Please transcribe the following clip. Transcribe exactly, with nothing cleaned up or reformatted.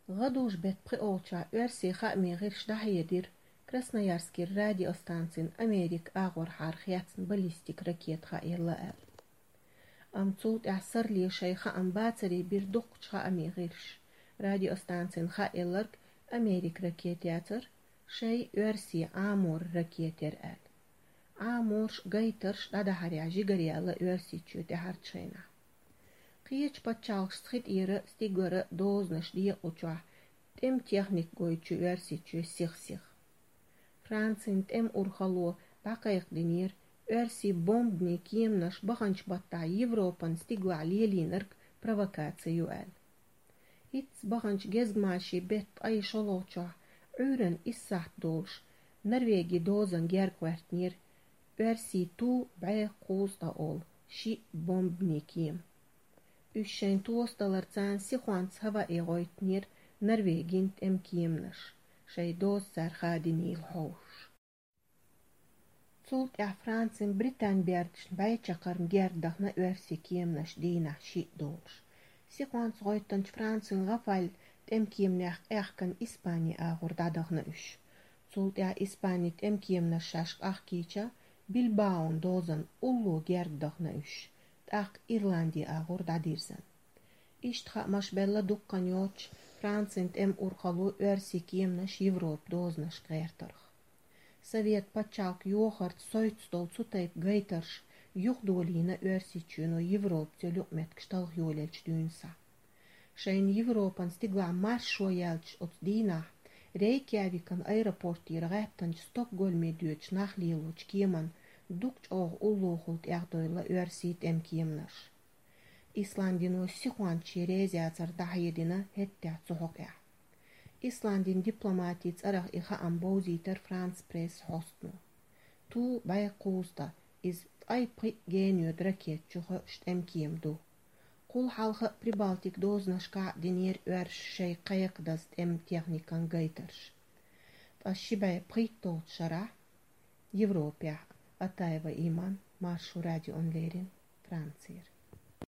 ГӀадужу беттан пхиолчохь оьрсийн хаамийн гӀирсаша дӀахьедира, Красноярскера радиостанцина Америка агӀорхьара хецна баллистика ракета хаелла аьлла. Амма цул тӀаьхьа сарле шайн хаам бацаре бира дуккхачу хаамийн гӀирсаша. Радиостанцина хаелларг Америка ракета яцара, шайн оьрсийн Ӏаморан ракета яра аьлла. Ӏаморш а, гайтарш а дӀадахьарехь жигара яьлла Оьрсийчоь тӀаьхьарчу хенахь. Кхечу пачхьалкхашца хи тӀера, стигара дозанаш декъачохь, тӀеман техника гойту Оьрсийчоь сих-сиха. Францин тӀеман урхалло дӀакхайкхадинера, оьрсийн бомбанийн кеманаш баханчу баттахь Европан стигалахь лелийнарг провокаци ю аьлла. ХӀинцца баханчу гезгмашин беттан ткъе шолгӀачохь, Ӏуьйранна исс сахьт долуш, Норвегин дозанна герга гӀоьртинера оьрсийн Ту бӀе кхузткъа олу шиъ бомбанийн кема. Уьш шайна тосадаларца сихонца хӀаваъе гӀойтинера Норвегин тӀеман кеманаш, шайн доза цара хадийнийла хьовсуш. Цул тӀаьхьа Францин Британи бердашна бӀе чаккхарма герга дахана оьрсийн кеманаш дийнахь шиъ долуш. Сихонца гӀоьттинчу Францин Рафаль тӀеман кеманех къехкана Испанин агӀор дӀадахана уьш. Цул тӀаьхьа Испанин тӀеман кеманаш шаьш къахкийча, Билбаон дозанна улло герга дахана уьш, тӀаккха Ирландин агӀор дӀадирзина. Иштта хаамаш белла дуккха хан йоццуш, Францин тӀеман урхалло оьрсийн кеманаш Европан дозанашка гӀертарх. Совет пачхьалкх йохарца совцуш долу цу тайпа гайтарш юхадолийна Оьрсийчоьно Европаца йолу юкъаметтигаш талха йолаеллачу дуьйна схьа. Шайна Европан стигалахь маршо яьлча оцу дийнахь Рейкьявикан аэропортера гӀаьттинчу Стокгольме доьдучу нах лелочу кеманна дукха чӀогӀа уллохула тӀехдевлла оьрсийн тӀеман кеманаш. Исландино сихонца шен реза яцар дӀахьедина хӀеттехь цу хьокъехь. Исландин дипломатин цӀарах и хаам бовзийтира Франц Пресс хьостано. Ту бӀе кхузткъа, иза ткъе пхиъ генайоьду ракета чу хоьуш тӀеман кема ду. Кхул хьалха а Прибалтик дозанашкахь а динера оьрсаша шайн кхайкхадаза тӀеман техникан гайтарш. Ткъа ши бӀе пхийтталгӀачу шарахь Европехь а. Атаева Иман, Маршо радиона леррина, Францера.